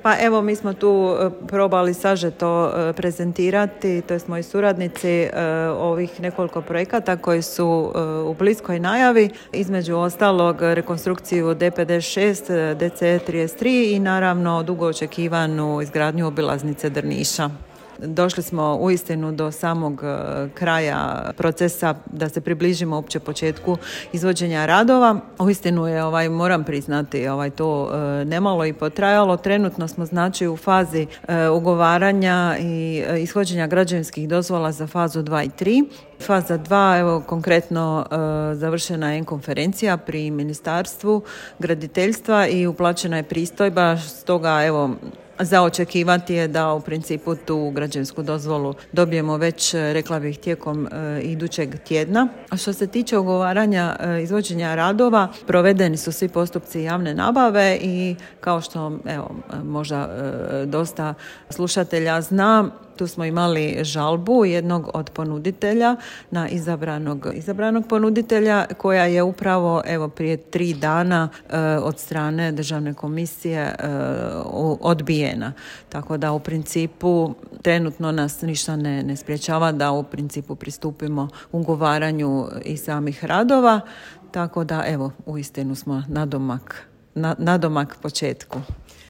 Pa evo, mi smo tu probali sažeto prezentirati, to jest moji suradnici, ovih nekoliko projekata koji su u bliskoj najavi, između ostalog rekonstrukciju D56, DC33 i naravno dugo očekivanu izgradnju obilaznice Drniša. Došli smo uistinu do samog kraja procesa da se približimo uopće početku izvođenja radova. Uistinu je, moram priznati, to nemalo i potrajalo. Trenutno smo znači u fazi ugovaranja i ishođenja građevinskih dozvola za fazu 2 i 3. Faza 2, evo konkretno završena je konferencija pri Ministarstvu graditeljstva i uplaćena je pristojba, stoga evo za očekivati je da u principu tu građevinsku dozvolu dobijemo već, rekla bih, tijekom idućeg tjedna. A što se tiče ugovaranja izvođenja radova, provedeni su svi postupci javne nabave i kao što možda dosta slušatelja zna, tu smo imali žalbu jednog od ponuditelja na izabranog ponuditelja koja je upravo prije 3 dana od strane Državne komisije odbijena. Tako da u principu trenutno nas ništa ne sprječava da u principu pristupimo ugovaranju i samih radova. Tako da uistinu smo nadomak početku.